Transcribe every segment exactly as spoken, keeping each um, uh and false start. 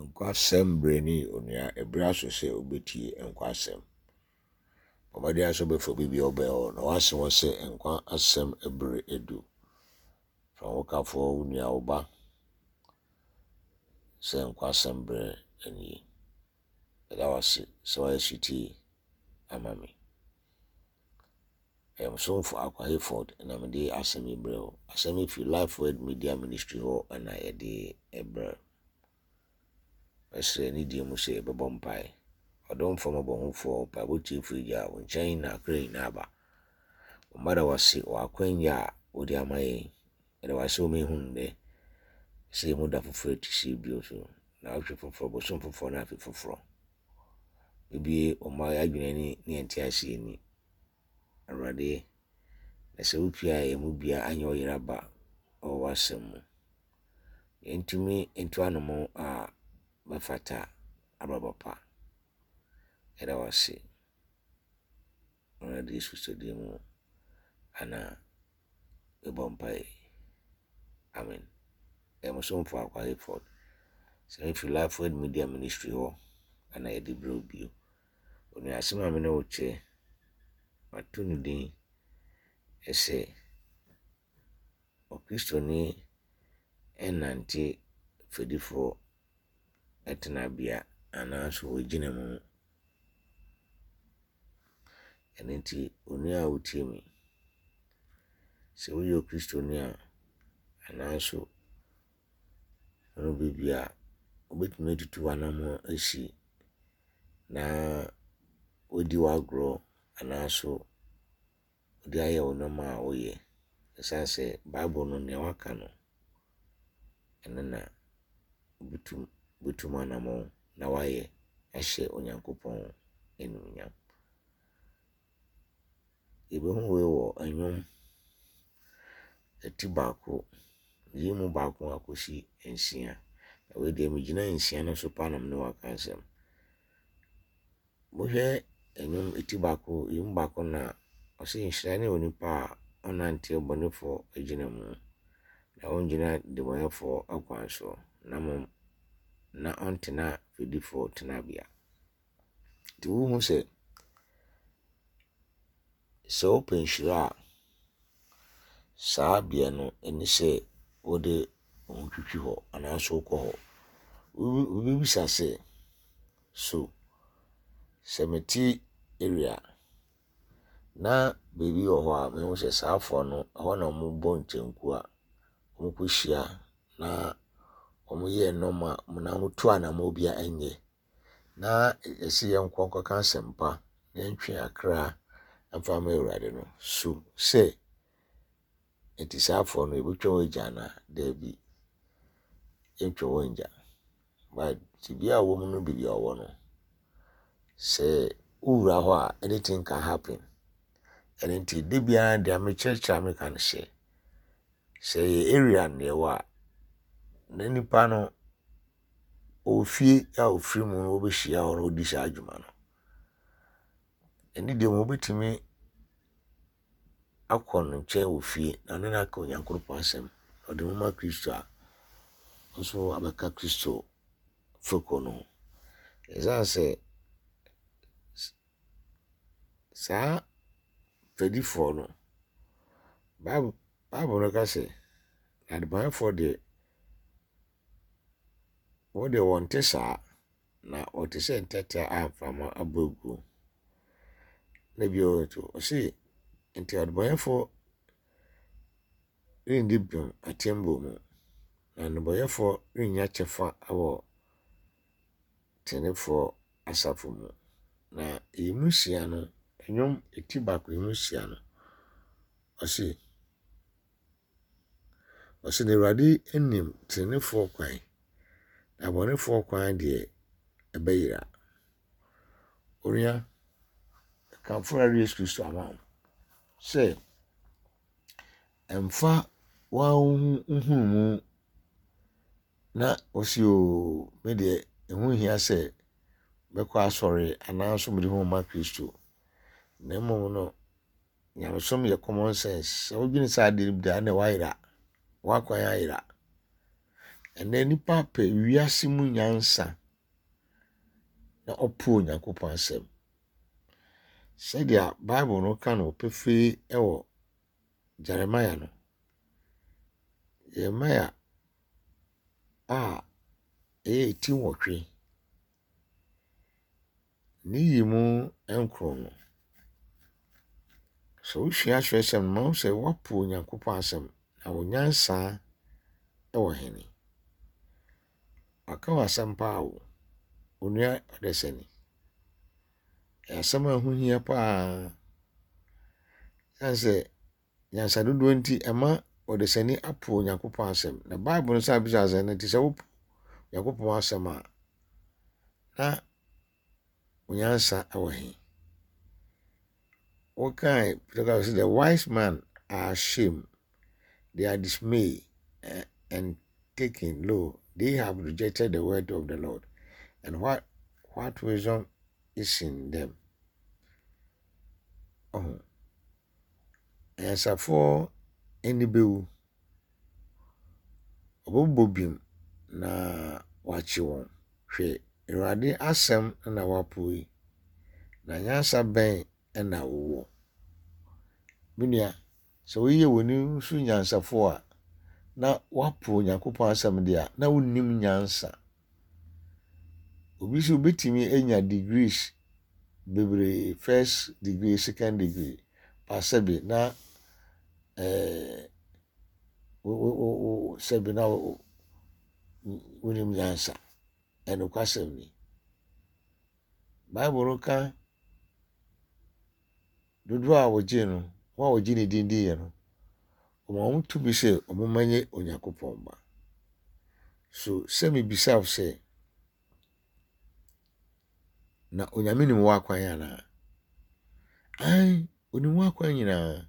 Nkwa asɛm berɛ ni onua, ɛberɛ aso sɛ wobɛtie nkwa asɛm. Bɔ mmɔden ara sɛ wobɛfa obi bi a ɔbɛn wo na woase hɔ sɛ nkwa asɛm berɛ adu. Fa wo kafoɔ, wo nua, wo ba sɛ nkwa asɛm berɛ nie. Meda wo ase sɛ woayɛ sotie ama me. Ɛyɛ mo somfo Akwa Hayford na mede asɛm yi brɛ wo. Asɛm yi firi Life Word Media Ministry hɔ na yɛde brɛ. Mɛsrɛ anidie mu sɛ yɛbɛbɔ mpae. Ɔdomfoɔ mmɔbɔhufoɔ, mpaebɔ tiefoɔ Agya, wo nkyɛn na akra nyinaa ba. Wo mma da wo ase wɔ akwanya a wode ama yɛn. Yɛda wo ase wɔ ma yɛhu nnɛ sɛ yɛhu da foforɔ a ɛte sei bio so. Naawɔtwe foforɔ, bosom foforɔ ne afe foforɔ. Bebie wo mma yɛn adwene ani ne yɛn nteaseɛ ani. Awurade, na sɛ wopie a yɛn mu biara anyɛ ɔyera ba wɔ w'asɛm mu. Yɛntumi ntu anammɔn a bɛfata abrabɔ pa. Yɛda wo ase. Awurade Yesu Kristo din mu ana yɛbɔ mpae. Amen. Ɛyɛ mo somfo Akwa Hayford. Sɛ mefiri Life Word Media Ministry hɔ ana yɛde brɛ wo bio. Onua asɛm a me ne wo kyɛ, mato no din sɛ Ɔkristoni nnante fɛdifoɔ tenabea anaasɛ wɔgyina mu. Ɛno nti, onua a wotie me, sɛ woyɛ Okristoni a anaasɛ wohu baabi a wobɛtumi atutu w'anammɔn asi na wodi w'agorɔ anaasɛ wode ayɛ wo nneɛma a woyɛ. Ɛsiane sɛ Bible no nea waka no, ɛno na wobɛtum wobɛtu mu anammɔn na woayɛ ahyɛ Onyankopɔn animuonyam. Yɛbɛhu wei wɔ nnwom ti baako, yi mu baako akɔsi nsia. Na wei deɛ megyina nsia no so paa na me ne wo aka asɛm. Wohwɛ nnwom ti baako, yi mu baako na ɔse nhyira ne onipa a ɔnnante ɔbɔnefoɔ agyina mu, na ɔngyina nnebɔneyɛfoɔ akwan so, na mmom na ɔntena fɛdifoɔ tenabea. Nti wohu sɛ sɛ wopɛ nhyira a, saa bea no ɛne sɛ wode wo ho twitwi hɔ anaasɛ wokɔ hɔ. Wobɛbisa sɛ, so sɛ mete area na baabi wɔ hɔ a mehu sɛ saafoɔ no ɛhɔ na wɔbɔ nkyɛnku a wɔkɔhyia na wɔyɛ nneɛma na wɔtu anammɔn bi a ɛnyɛ na yɛsɛ yɛnkɔ nkɔka asɛmpa na yɛntwe akra mfa ma Awurade no so sɛ nti saafoɔ no yɛbɛtwa wɔn agya anaa? Daabi, yɛntwa wɔn ngya. But tebea a wɔwɔ mu no baabi a wɔwɔ no, sɛ wowura hɔ a anything can happen. Ɛno nti da biara deɛ mekyerɛkyerɛ a meka no sɛ, sɛ ɛyɛ area na yɛwɔ a, na nipa no ɔwɔ fie a ofiri mu na wɔbɛhyia hɔ na ɔdi saa adwuma no. Ɛne deɛ mu wobɛtumi akɔ no nkyɛn wɔ fie na ɔne no aka Onyankopɔn asɛm. Ɔde mo ma Kristo a, nso abɛka Kristo fekuo no ho. Ɛsiane sɛ saa fɛdifoɔ no, Bible, Bible no ka sɛ, adebɔneyɛfoɔ deɛ, wɔn deɛ wɔnte saa, na wɔte sɛ ntɛtɛ a mframa abɔ agu. Na bio nso, ɔse nti adebɔneyɛfoɔ renni bem atemmuo mu, na nnebɔneyɛfoɔ rennya kyɛfa wɔ tenefoɔ asafo mu. Na eyi mu nsia no, nnwom ti baako yi mu nsia no, ɔse ɔse na Awurade nim tenefoɔ kwan, na abɔnefoɔ kwan deɛ ɛbɛyera. Onua, kamfo Awurade Yesu Kristo ama wo sɛ ɛmfa wo nhunumu na wosi o me deɛ ɛho hia sɛ mɛkɔ asɔre anaasɛ mede ho ma Kristo. Na mmom no, nyamesom yɛ common sense. Sɛ wodwene saa adeɛ no bi da a, na woayera. W'akwan ayera. Ɛnnɛ nnipa pɛ wiase mu nyansa na ɔpo Onyankopɔn asɛm. Sɛdeɛ Bible no ka no pefee wɔ Jeremiah no, Jeremiah a ɛyɛ ti nwɔtwe, ne yi mu nkron no, sɛ wosua atwerɛsɛm no, mahu sɛ woapo Onyankopɔn asɛm na wo nyansa wɔ hene. Waka w'asɛm paa o, onua ɔdasani. Ɛyɛ asɛm a ɛho hia paa. Ɛsiane sɛ nyansa dodoɔ nti ɛma ɔdasani apo Onyankopɔn asɛm. Na Bible no san bisa sɛ, na nti sɛ wopo Onyankopɔn asɛm a, na wo nyansa wɔ he? Wokae, the wise man are ashamed, they are dismayed and taken low. They have rejected the word of the Lord. And what, what wisdom is in them? Oh. Anyansafoɔ ani bɛwu. Wɔbɛbobɔ bim na wɔakye wɔn. Hwɛ, Awurade asɛm na wɔapo yi, na nyansa bɛn na wowɔ? Me nua, sɛ woyɛ w'ani so nyansafoɔ a, na woapo Onyankopɔn asɛm deɛ a, na wonnim nyansa. Obi nso obetumi anya degrees bebree, first degree, second degree, but sɛbi na ɛɛ wo wo wo sɛbi na wonim nyansa. Ɛnokwasɛm ni. Bible no ka dodoɔ a wɔgye no, wɔn a wɔgye ne din diiɛ no, wɔma wɔn tumi sɛ wɔmma nyɛ Onyankopɔn mma. So sɛ mebisa wo sɛ, na Onyame nim w'akwan anaa? Ae, onim w'akwan nyinaa.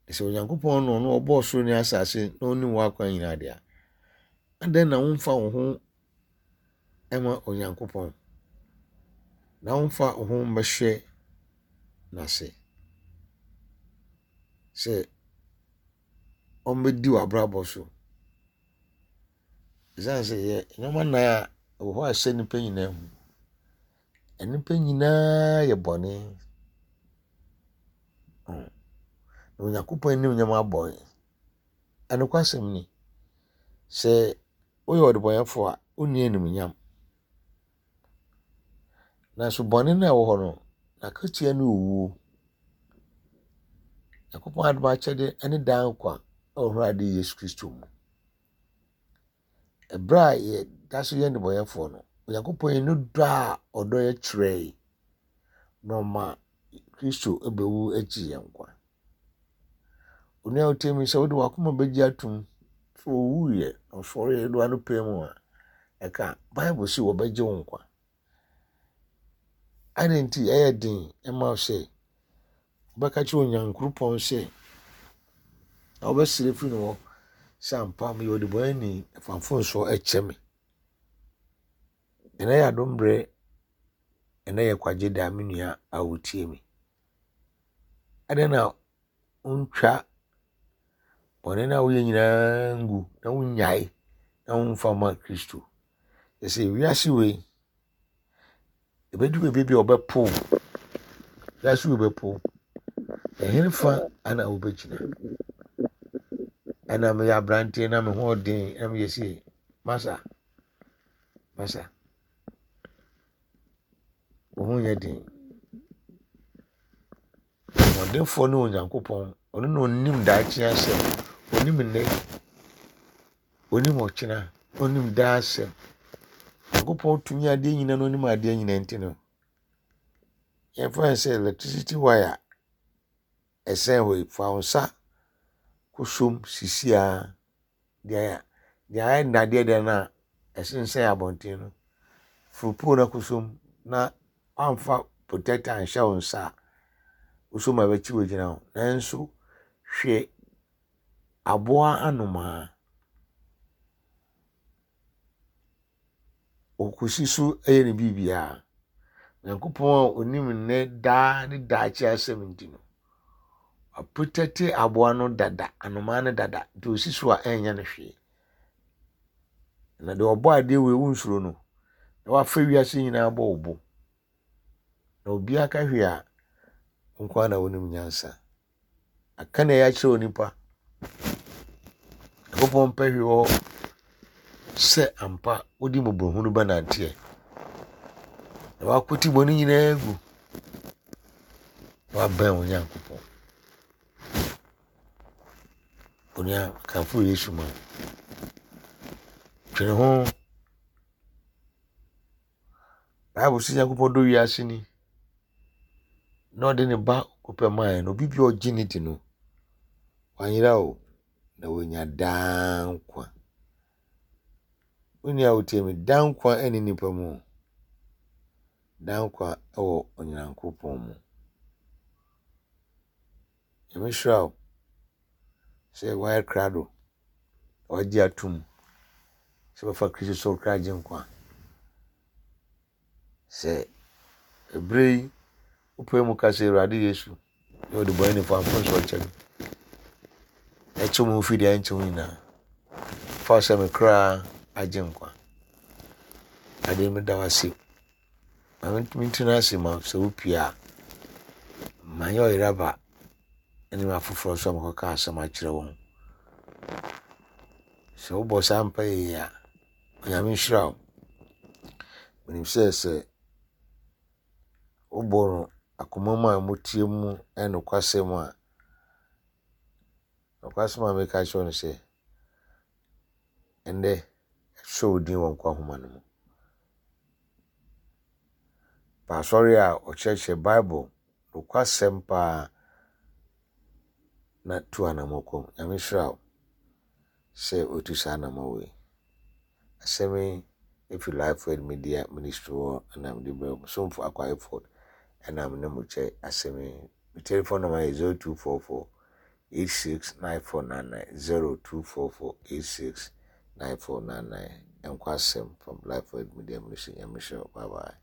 Sɛ Onyankopɔn no ɔno ɔbɔɔ soro ne asase na onim w'akwan nyinaa deɛ a, adɛn na womfa wo ho ma Onyankopɔn na womfa wo ho mmɛhyɛ n'ase sɛ ɔmmɛdi w'abrabɔ so. Ɛsiane sɛ yɛ nneɛma nnan a ɛwɔ hɔ a ɛhyɛ nnipa nyinaa mu. Nnipa nyinaa yɛ bɔne. Na Onyankopɔn animuonyam abɔ yɛn. Ɛnokwasɛm ni, sɛ woyɛ ɔdebɔneyɛfoɔ a, wonni animuonyam. Nanso bɔne no a ɛwɔ hɔ no, n'akatua ne owuo. Nyankopɔn adom akyɛde ne daa nkwa a ɛwɔ Awurade Yesu Kristo mu. Ɛberɛ a yɛda so yɛ nnebɔneyɛfoɔ no, Onyankopɔn yi ne dɔ a ɔdɔ yɛ kyerɛe na ɔma Kristo bɛwu agye yɛn nkwa. Onua a wotie me sɛ wode w'akoma bɛgye atom sɛ owuiɛ na ɔsɔreeɛ de w'ano mu a, ɛka Bible sɛ wɔbɛgye wo nkwa. Adɛn nti ɛyɛ den ma wo sɛ wobɛka kyerɛ Onyankopɔn sɛ na wobɛsrɛ firi ne hɔ sɛ ampa meyɛ ɔdebɔneyɛni fa mfomsoɔ ɛkyɛ me. Ɛnnɛ yɛ adom berɛ, ɛnnɛ yɛ kwagye da me nua a wotie me. Adɛn na wontwa bɔne no a woyɛ nyinaa ngu na wonnyae na womfa ma Kristo? Ɛsɛ wiase wei, ɛbɛdu baabi bi a ɔbɛpo wo. Wiase wei bɛpo wo. Ɛhe fa ana wobɛgyina? Ɛna meyɛ aberanteɛ na me ho ɔden na meyɛ sei. Masa, masa. Wo ho nyɛ den. Ɔhoɔdenfoɔ ne Onyankopɔn. Ɔno na onim daakye asɛm. Onim nnɛ, onim ɔkyena, onim daa asɛm. Onyankopɔn tumi adeɛ nyinaa na onim adeɛ nyinaa nti no, yɛmfa no sɛ electricity wire ɛsɛn hɔ yi, fa wo nsa kɔsom sisi a deɛ deɛ ayɛ nnadeɛ deɛ no a ɛsensɛn abɔnten no, foro pole no akɔsom na woamfa protector anhyɛ wo nsa a, wosom a ɛbɛkye wo agyina hɔ. Nanso hwɛ aboa anomaa. Ɔkɔsi so yɛ ne biribiara. Nyankopɔn a onim nnɛ daa ne daakye asɛm nti no, Waprotɛte aboa no dada, anomaa no dada, nti osi so a ɛnyɛ no hwee. Na deɛ ɔbɔ adeɛ wei wonsuro no, na wafa wiase nyinaa bɔ wo bo. Na obiara ka hwee a, wo nko ara na wonim nyansa. Aka na ɛyɛ akyerɛ onipa. Nyankopɔn mpɛ hwee wɔ hɔ sɛ ampa wode mmɔborɔhunu bɛnanteɛ na wakwati bɔne nyinaa agu na wabɛn wo Nyankopɔn. Onua, kamfo Yesu ma wo. Twene ho. Bible sɛ Nyankopɔn dɔ wiase ni na ɔde ne ba kopɛ maa no obi bi a ɔgye ne di no wanyera o na wanya daa nkwa. Wo nua a wotie me, daa nkwa ne nipa mu. Daa nkwa wɔ Onyankopɔn mu. Nyame hyira wo sɛ woayɛ krado na wagye atom sɛ bɛfa Kristo sɛ wo kra gye nkwa. Sɛ ɛberɛ yi wopɛ mu ka sɛ Awurade Yesu ne ɔde bɔne nifa mfomsoɔ kyɛ me na ɛkyɛ mu mfiri deɛ ɛnkyɛ wo nyinaa fa sɛ me kra agye nkwa. Ade meda wo ase. Ma mentena ase ma sɛ wopie a manyɛ ɔyeraba ne afoforɔ nso a makɔka asɛm akyerɛ wɔn. Sɛ wobɔ saa mpaeɛ yi a, Onyame nhyira wo. Menim sɛ sɛ wobɔ no akoma mu a motie mu nokwasɛm a, nokwasɛm a meka kyerɛ wo no sɛ, ɛnnɛ ɛsɔ wo din wɔ nkwa nhoma no mu. Pa asɔre a ɔkyerɛkyerɛ Bible nokwasɛm paa na tu anammɔn kɔ mu. Nyame nhyira wo sɛ wotu saa anammɔn wei. Asɛm yi efi Life Word Media Ministry hɔ ɛna mede brɛ wo. Somfo Akwa Effort ɛna me ne mo kyɛ asɛm yi. Me telephone number yɛ zero two four four eight six nine four nine nine zero two four four eight six nine four nine nine. Nkwa asɛm from Life Word Media Ministry. Nyame nhyira wo. Bye bye.